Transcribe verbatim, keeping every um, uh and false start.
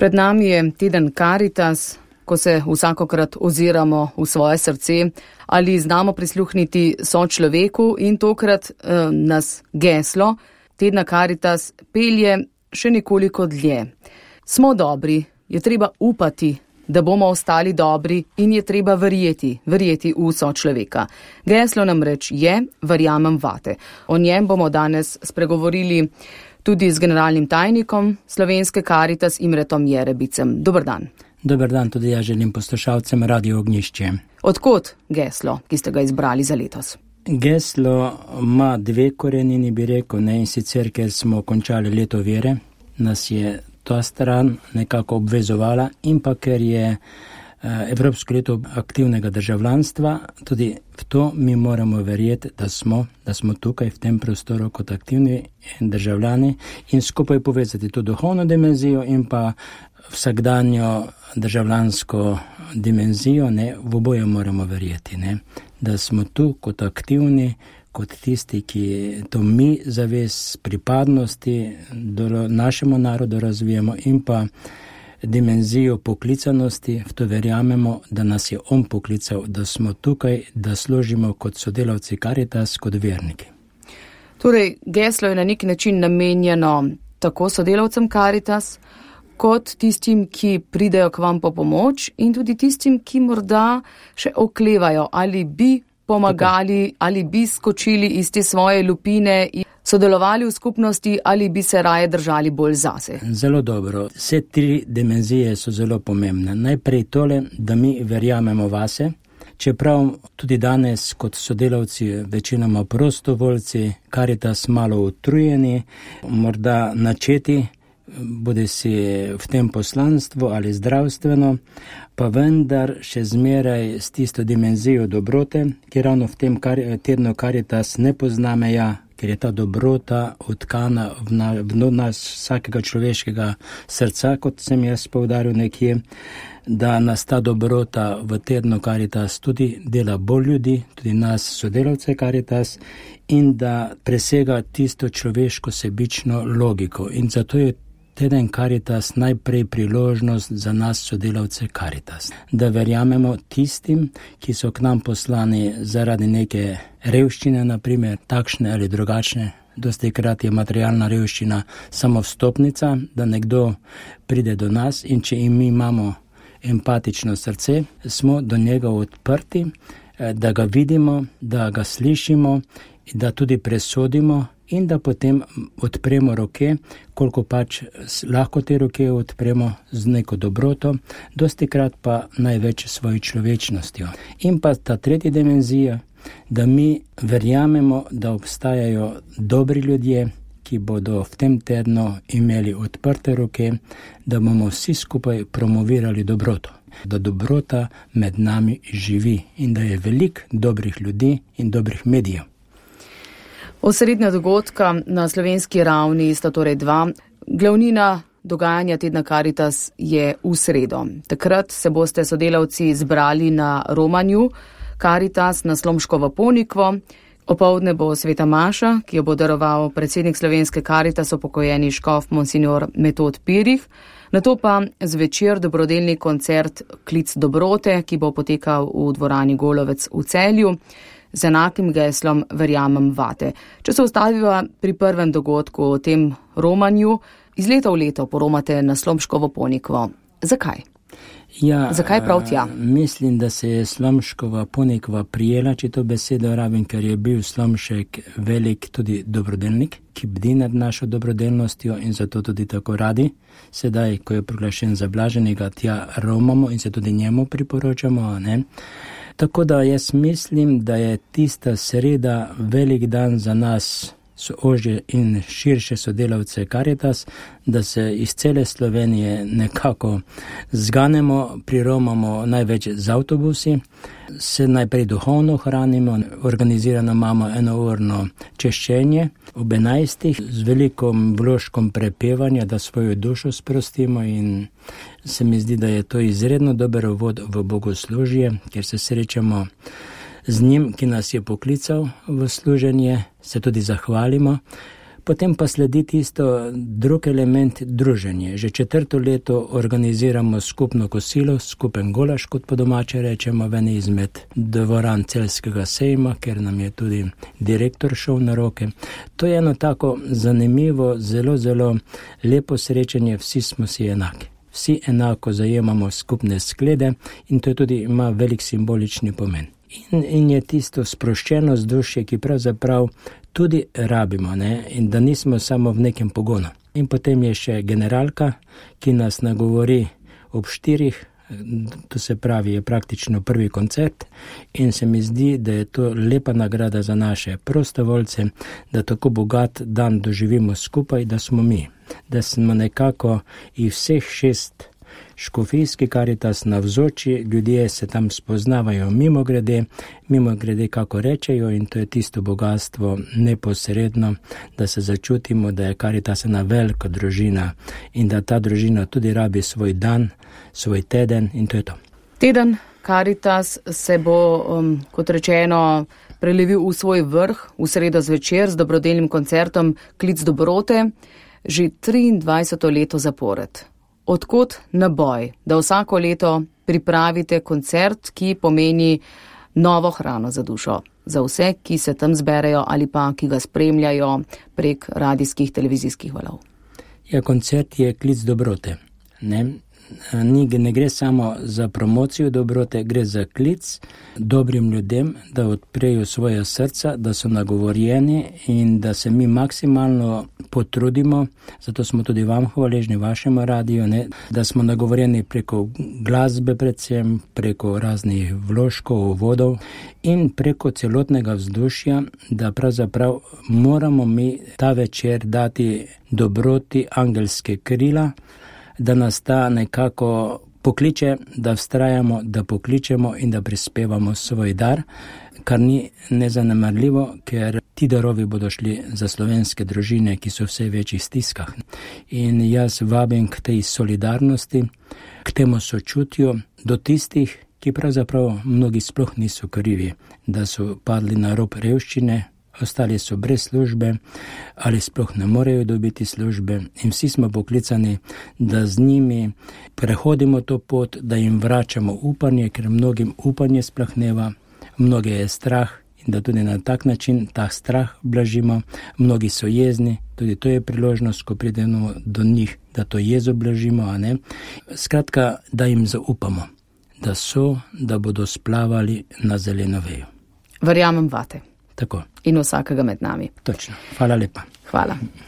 Pred nami je teden Karitas, ko se vsakokrat oziramo v svoje srce, ali znamo prisluhniti sočloveku, in tokrat eh, nas geslo tedna Karitas pelje še nekoliko dlje. Smo dobri, je treba upati, da bomo ostali dobri, in je treba verjeti, verjeti v sočloveka. Geslo namreč je verjamem vate. O njem bomo danes spregovorili tudi z generalnim tajnikom Slovenske Karitas Imretom Jerebicem. Dober dan. Dober dan, tudi ja želim poslušalcem Radio Ognjišče. Odkot geslo, ki ste ga izbrali za letos? Geslo ima dve korenini, bi rekel, ne, in sicer, ker smo končali leto vere, nas je ta stran nekako obvezovala, in pa ker je Evropsko leto aktivnega državljanstva, tudi v to mi moramo verjeti, da smo, da smo tukaj v tem prostoru kot aktivni državljani in skupaj povezati to duhovno dimenzijo in pa vsakdanjo državljansko dimenzijo, ne, v oboje moramo verjeti, ne, da smo tu kot aktivni, kot tisti, ki to mi zavest pripadnosti do našemu narodu razvijemo in pa dimenzijo poklicanosti, v to verjamemo, da nas je on poklical, da smo tukaj, da služimo kot sodelavci Karitas, kot verniki. Torej, geslo je na nek način namenjeno tako sodelavcem Karitas, kot tistim, ki pridejo k vam po pomoč, in tudi tistim, ki morda še oklevajo, ali bi pomagali, tako, ali bi skočili iz te svoje lupine in sodelovali v skupnosti, ali bi se raje držali bolj zase. Zelo dobro. Vse tri dimenzije so zelo pomembne. Najprej tole, da mi verjamemo vase, čeprav tudi danes kot sodelavci, večinoma prostovoljci, Karitas malo utrujeni, morda načeti, bodi si v tem poslanstvu ali zdravstveno, pa vendar še zmeraj s tisto dimenzijo dobrote, ki ravno v tem kar, tednu Karitas ne pozna meja, ker je ta dobrota odkana v, na, v nas vsakega človeškega srca, kot sem jaz poudaril nekje, da nas ta dobrota v tednu Karitas tudi dela bolj ljudi, tudi nas sodelavce Karitas, in da presega tisto človeško sebično logiko. In zato je teden Karitas najprej priložnost za nas sodelavce Karitas, da verjamemo tistim, ki so k nam poslani zaradi neke revščine, naprimer, takšne ali drugačne. Dostikrat je materialna revščina samo vstopnica, da nekdo pride do nas, in če mi imamo empatično srce, smo do njega odprti, da ga vidimo, da ga slišimo, da tudi presodimo in da potem odpremo roke, koliko pač lahko te roke odpremo z neko dobroto, dostikrat pa največ svojo človečnostjo. In pa ta tretja dimenzija, da mi verjamemo, da obstajajo dobri ljudje, ki bodo v tem tednu imeli odprte roke, da bomo vsi skupaj promovirali dobroto, da dobrota med nami živi in da je veliko dobrih ljudi in dobrih medijev. Osrednja dogodka na slovenski ravni sta torej dva. Glavnina dogajanja tedna Karitas je v sredo. Takrat se boste sodelavci zbrali na romanju Karitas na Slomškovo Ponikvo. Opoldne bo sveta maša, ki jo bo daroval predsednik Slovenske Karitas, upokojeni škof monsignor Metod Pirih. Nato pa zvečer dobrodelni koncert Klic dobrote, ki bo potekal v dvorani Golovec v Celju, z enakim geslom verjamem vate. Če se ustaviva pri prvem dogodku o tem romanju, iz leta v leto poromate na Slomškovo Ponikvo. Zakaj? Ja, Zakaj prav tja? Mislim, da se je Slomškova Ponikva prijela, če to besedo rabim, ker je bil Slomšek velik tudi dobrodelnik, ki bdi nad našo dobrodelnostjo, in zato tudi tako radi. Sedaj, ko je proglašen za blaženega, tja romamo in se tudi njemu priporočamo, ne? Tako da jaz mislim, da je tista sreda velik dan za nas, ožje in širše sodelavce Karitas, da se iz cele Slovenije nekako zganemo, priromamo največ z avtobusi, se najprej duhovno hranimo, organizirano imamo enourno češčenje ob enajstih z velikom vložkom prepevanja, da svojo dušo sprostimo, in se mi zdi, da je to izredno dober uvod v bogoslužje, ker se srečamo z njim, ki nas je poklical v služenje, se tudi zahvalimo, Potem pa sledi tisto drug element, druženje. Že četrto leto organiziramo skupno kosilo, skupen golaž, kot po domače rečemo, v eni izmed dvoran Celjskega sejma, ker nam je tudi direktor šel na roke. To je eno tako zanimivo, zelo, zelo lepo srečanje, vsi smo si enaki. Vsi enako zajemamo skupne sklede in to tudi ima velik simbolični pomen. In, in je tisto sproščeno vzdušje, ki pravzaprav tudi rabimo, ne? In da nismo samo v nekem pogonu. In potem je še generalka, ki nas nagovori ob štirih, to se pravi, je praktično prvi koncert in se mi zdi, da je to lepa nagrada za naše prostovoljce, da tako bogat dan doživimo skupaj, da smo mi, da smo nekako i vseh šest škofijski Karitas navzoči, ljudje se tam spoznavajo mimo grede, mimo grede kako rečejo in to je tisto bogatstvo neposredno, da se začutimo, da je Karitas ena velika družina in da ta družina tudi rabi svoj dan, svoj teden in to je to. Teden Karitas se bo, um, kot rečeno, prelevil v svoj vrh v sredo zvečer z dobrodelnim koncertom Klic dobrote že triindvajseto leto zapored. Odkot naboj, da vsako leto pripravite koncert, ki pomeni novo hrano za dušo, za vse, ki se tam zberejo ali pa ki ga spremljajo prek radijskih, televizijskih valov? Ja, koncert je klic dobrote. Ne? Ni, ne gre samo za promocijo dobrote, gre za klic dobrim ljudem, da odprejo svoje srca, da so nagovorjeni in da se mi maksimalno potrudimo, zato smo tudi vam hvaležni, vašemu radiju, ne, da smo nagovorjeni preko glasbe predvsem, preko raznih vložkov, uvodov in preko celotnega vzdušja, da pravzaprav moramo mi ta večer dati dobroti angelske krila, da nas ta nekako pokliče, da vztrajamo, da pokličemo in da prispevamo svoj dar, kar ni nezanemarljivo, ker ti darovi bodo šli za slovenske družine, ki so v vse večjih stiskah. In jaz vabim k tej solidarnosti, k temu sočutju do tistih, ki pravzaprav mnogi sploh niso krivi, da so padli na rob revščine, ostali so brez službe ali sploh ne morejo dobiti službe in vsi smo poklicani, da z njimi prehodimo to pot, da jim vračamo upanje, ker mnogim upanje splahneva, mnoge je strah in da tudi na tak način ta strah blažimo. Mnogi so jezni, tudi to je priložnost, ko pridemo do njih, da to jezo blažimo, a ne? Skratka, da jim zaupamo, da so, da bodo splavali na zeleno vejo. Verjamem vate. Tako. In vsakega med nami. Točno. Hvala lepa. Hvala.